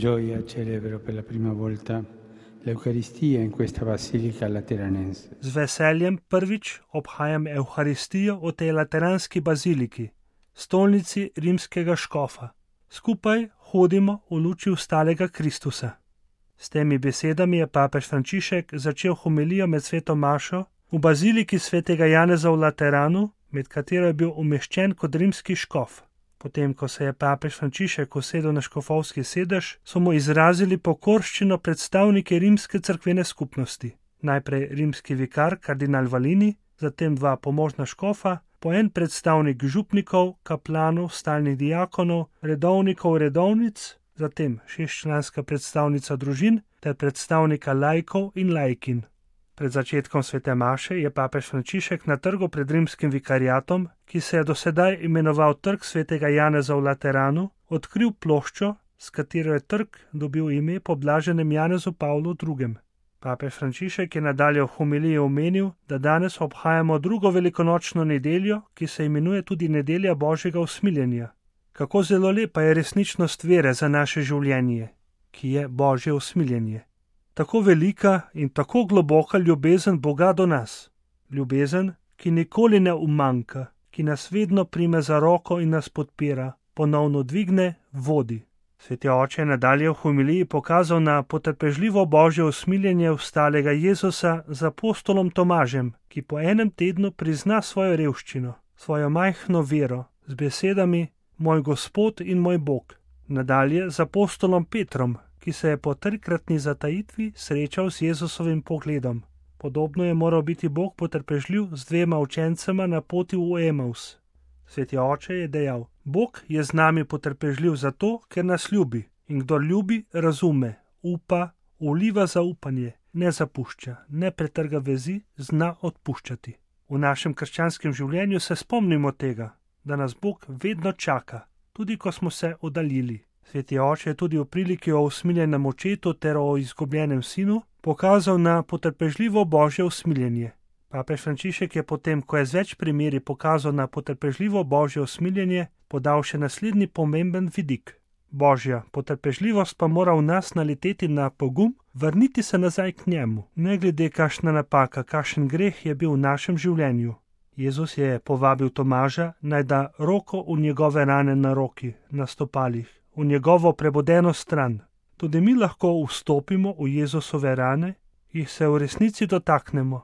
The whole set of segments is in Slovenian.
gioia celebro per la prima volta l'Eucaristia in questa basilica lateranense. Z veseljem prvič obhajam Evharistijo v tej lateranski baziliki, stolnici rimskega škofa. Skupaj hodimo v luči vstalega Kristusa. S temi besedami je papež Frančišek začel homilijo med sveto mašo v baziliki svetega Janeza v Lateranu, med katero je bil umeščen kot rimski škof. Potem, ko se je papež Frančišek usedel na škofovski sedež, so mu izrazili pokorščino predstavniki rimske cerkvene skupnosti. Najprej rimski vikar kardinal Valini, zatem dva pomožna škofa, po en predstavnik župnikov, kaplanov, stalnih diakonov, redovnikov, redovnic, zatem 6-članska predstavnica družin ter predstavnika laikov in laikin. Pred začetkom svete maše je papež Frančišek na trgu pred rimskim vikariatom, ki se je dosedaj imenoval Trg svetega Janeza v Lateranu, odkril ploščo, s katero je trg dobil ime po blaženem Janezu Pavlu II. Papež Frančišek je nadalje v homiliji omenil, da danes obhajamo drugo velikonočno nedeljo, ki se imenuje tudi nedelja Božjega usmiljenja. Kako zelo lepa je resničnost vere za naše življenje, ki je Božje usmiljenje. Tako velika in tako globoka ljubezen Boga do nas. Ljubezen, ki nikoli ne umanjka, ki nas vedno prime za roko in nas podpira, ponovno dvigne, vodi. Sveti oče je nadalje v homiliji pokazal na potrpežljivo Božje usmiljenje vstalega Jezusa z apostolom Tomažem, ki po enem tednu prizna svojo revščino, svojo majhno vero, z besedami moj Gospod in moj Bog. Nadalje z apostolom Petrom, ki se je po 3-kratni zatajitvi srečal z Jezusovim pogledom. Podobno je moral biti Bog potrpežljiv z 2 učencema na poti v Emaus. Sveti oče je dejal, Bog je z nami potrpežljiv zato, ker nas ljubi, in kdor ljubi, razume, upa, vliva zaupanje, ne zapušča, ne pretrga vezi, zna odpuščati. V našem krščanskem življenju se spomnimo tega, da nas Bog vedno čaka, tudi ko smo se oddaljili. Sveti oče je tudi v priliki o usmiljenem očetu ter o izgubljenem sinu pokazal na potrpežljivo Božje usmiljenje. Papež Frančišek je potem, ko je z več primeri pokazal na potrpežljivo Božje usmiljenje, podal še naslednji pomemben vidik. Božja potrpežljivost pa mora v nas naleteti na pogum, vrniti se nazaj k njemu, ne glede kakšna napaka, kakšen greh je bil v našem življenju. Jezus je povabil Tomaža, naj da roko v njegove rane na roki, na stopalih, v njegovo prebodeno stran. Tudi mi lahko vstopimo v Jezusove rane, jih se v resnici dotaknemo.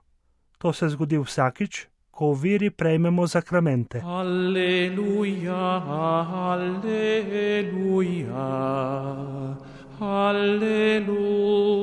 To se zgodi vsakič, ko v veri prejmemo zakramente. Alleluja, alleluja, alleluja.